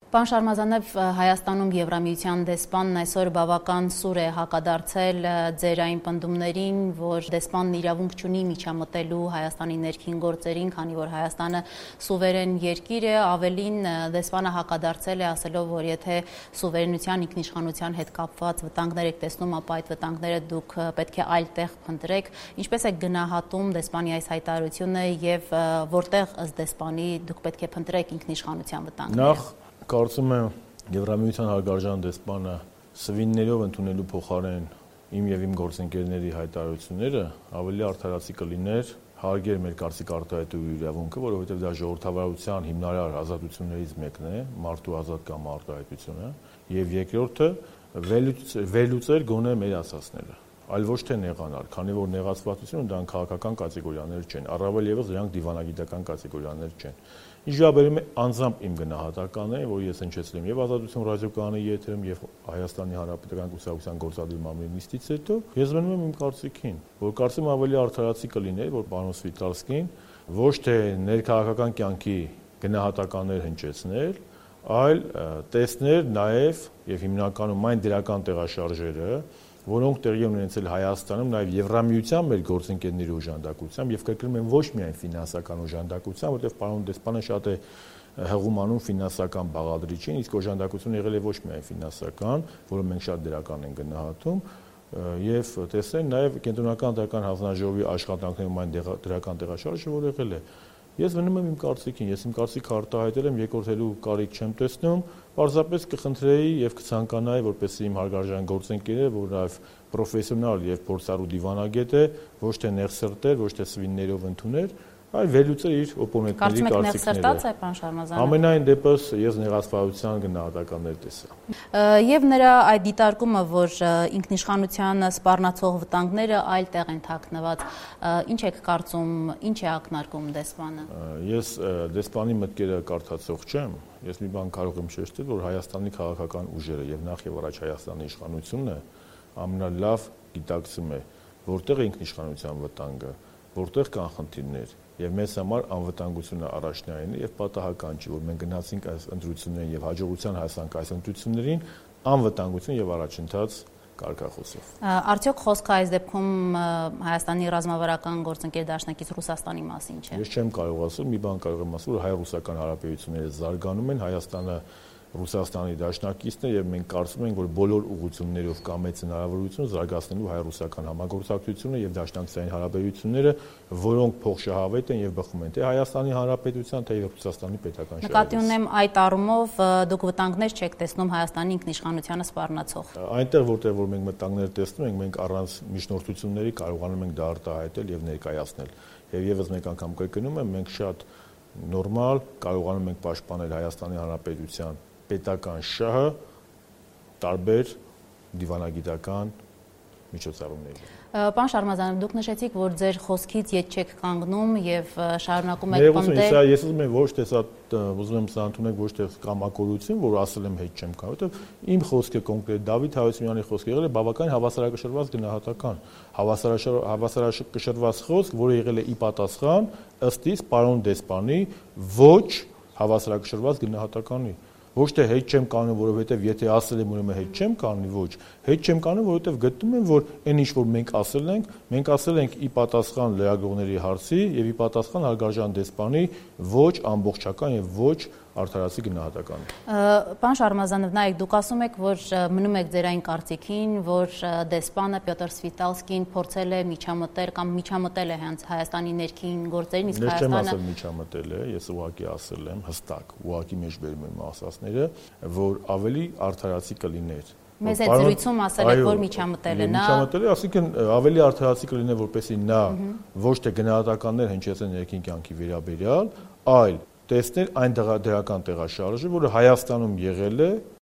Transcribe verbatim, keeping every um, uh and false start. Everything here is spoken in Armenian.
Պարոն Շարմազանով, Հայաստանում Եվրամիության դեսպանն այսօր բավական սուր է հակադարձել ձեր այն պնդումներին, որ դեսպանն իրավունք չունի միջամտելու Հայաստանի ներքին գործերին, քանի որ Հայաստանը սուվերեն երկիր է, ավելին դեսպանը հակադարձել է ասելով, որ եթե սուվերենության ինքնիշխանության հետ կապված վտանգներ եք տեսնում, ապա այդ վտանգները դուք պետք է այլ տեղ փնտրեք, ինչպես եք գնահատում դեսպանի այս հայտարարությունը եւ որտեղ ըստ դեսպանի դուք պետք է փնտրեք ինքնիշխանության վտանգները։ Կարծում եմ Եվրամիության հարգարժան դեսպանը սվիններով ընդունելու փոխարեն իմ եւ իմ գործընկերների հայտարարությունները ավելի արդարացի կլիներ հարգեր մեր կարծիք արտահայտելու իրավունքը, որովհետեւ դա ժողովրդավարության հիմնարար ազատություններից մեկն է, մարդու ազատ կամ արտահայտությունը, եւ երկրորդը վերլուծել գոնե մեր ասածները, այլ ոչ թե նեղանալ, քանի որ նեղացվածությունը դրանք քաղաքական կատեգորիաներ չեն, առավել եւս դրանք դիվանագիտական կատեգորիաներ չեն։ Ինչ վերաբերում է անձամբ իմ գնահատականն է, որ ես հնչեցրեմ եւ Ազատություն ռադիոկայանի եթերում եւ Հայաստանի Հանրապետական կուսակցության գործադիր մամուլի նիստից հետո, ես մնում եմ իմ կարծիքին, որ կարծում ավելի արդարացի կլիներ, որ պարոն Սվիտալսկին ոչ թե ներքաղաքական կյանքի գնահատականներ հնչեցնել, այլ տեսներ նաեւ եւ հիմնականում այն դրական տեղաշարժերը, որոնք տեղի են ունեցել Հայաստանում նաև Եվրամիության մեր գործընկերների օժանդակությամբ եւ կրկնում եմ ոչ միայն ֆինանսական օժանդակությամբ, որտեղ պարոն դեսպանը շատ է հղում անում ֆինանսական բաղադրիչին, իսկ օժանդակությունը եղել է ոչ միայն ֆինանսական, որը մենք շատ դրական ենք գնահատում, եւ տեսնեն նաև կենտրոնական դրական հանձնաժողովի աշխատանքներում այն դրական տեղաշարժը, որ եղել է։ Ես մնում եմ իմ կարծիքին, ես իմ կարծիքը արտահայտել եմ, երկրորդելու կարիք չեմ տեսնում, պարզապես կխնդրեի եւ կցանկանայի, որպեսզի իմ հարգարժան գործընկերը, որ նաեւ պրոֆեսիոնալ եւ փորձառու դիվանագետ է, ոչ թե նեղսրտեր, ոչ թե սվիններով ընդուներ, այլ վերլուծել իր օպոնենտների կարծիքները։ Ամենայն դեպս ես նեղացվածության գնահատականներ տեսա։ Եվ նրա այդ դիտարկումը, որ ինքնիշխանությանը սպառնացող վտանգները այլ տեղ են թաքնված, ինչ եք կարծում, ինչ է ակնարկում դեսպանը։ Ես դեսպանի մտքերը կարդացող չեմ, ես մի բան կարող եմ շեշտել, որ Հայաստանի քաղաքական ուժերը եւ նախ եւ առաջ Հայաստանի իշխանությունը ամենալավ գիտակցում է, որտեղ է ինքնիշխանության վտանգը, որտեղ կան խնդիրներ, եւ մեզ համար անվտանգությունը առաջնային է եւ պատահական չի, որ մենք գնացինք այս ընտրություններին եւ հաջողության հասանք այս ընտրություններին անվտանգություն եւ առաջընթաց կարգախոսով։ Արդյոք խոսքը այս դեպքում Հայաստանի ռազմավարական գործընկեր դաշնակից Ռուսաստանի մասին չէ։ Ես չեմ կարող ասել, մի բան կարող եմ ասել, որ հայ-ռուսական հարաբերությունները զարգանում են, Հայաստանը Ռուսաստանի դաշնակիցն է եւ մենք կարծում ենք, որ բոլոր ուղղություններով կա մեծ հնարավորություն զարգացնելու հայ-ռուսական համագործակցությունը եւ դաշնակցային հարաբերությունները, որոնք փոխշահավետ են եւ բխում են թե Հայաստանի Հանրապետության, թե Ռուսաստանի պետական շահերից։ Նկատի ունեմ այդ առումով դուք վտանգներ չեք տեսնում Հայաստանի ինքնիշխանությանը սպառնացող։ Այնտեղ որտեղ որ մենք վտանգներ տեսնում ենք, մենք առանց միջնորդությունների կարողանում ենք դա արտահայտել եւ ներկայացնել։ Եվ եւս մեկ անգամ կրկնում եմ, մենք շատ նորմալ կարողանում ենք պաշտպանել Հայաստանի Հանրապետության պետական շահը տարբեր դիվանագիտական միջոցառումների։ Պարոն Շարմազանով, դուք նշեցիք, որ ձեր խոսքից ետ չեք կանգնում եւ շարունակում եք պնդել։ Ես ուզում եմ ոչ թե սա ուզում եմ սա ընդունեք ոչ թե կամակորություն, որ ասել եմ հետ չեմ կարող, որովհետեւ իմ խոսքը կոնկրետ Դավիթ Հայությունյանի խոսքը եղել է բավական հավասարակշռված գնահատական, հավասարակշռված խոսք, որը եղել է ի պատասխան ըստ իս պարոն դեսպանի ոչ հավասարակշռված գնահատականի։ Ոչ թե հետ չեմ կանում, որովհետև եթե ասել եմ, ուրեմն հետ չեմ կանի, ոչ։ Հետ չեմ կանում, որովհետև գտնում եմ, որ այն ինչ որ մենք ասել ենք, մենք ասել ենք ի պատասխան լրագրողների հարցի եւ ի պատասխան հարգարժան դեսպանի ոչ ամբողջական եւ ոչ արդարացի գնահատական։ Պարոն Շարմազանով, նայեք, դուք ասում եք, որ մնում եք ձեր այն կարծիքին, որ դեսպանը Պյոտր Սվիտալսկին փորձել է միջամտել կամ միջամտել է հենց Հայաստանի ներքին գործերին, իսկ Հայաստանը Ես չեմ ասել միջամտել է, ես ուղղակի ասել եմ հստակ, ուղղակի մեջ բերում եմ ասածները, որ ավելի արդարացի կլիներ։ Մեզ այդ զրույցում ասել եք, որ միջամտել է նա։ Միջամտել է, ասիկն ավելի արդարացի կլիներ, որպեսզի նա ոչ թե գնահատականներ հնչեցեն ներքին կյանքի վերաբերյալ, այլ տեսնել այն դրական տեղաշարժը, որը Հայաստանում եղել է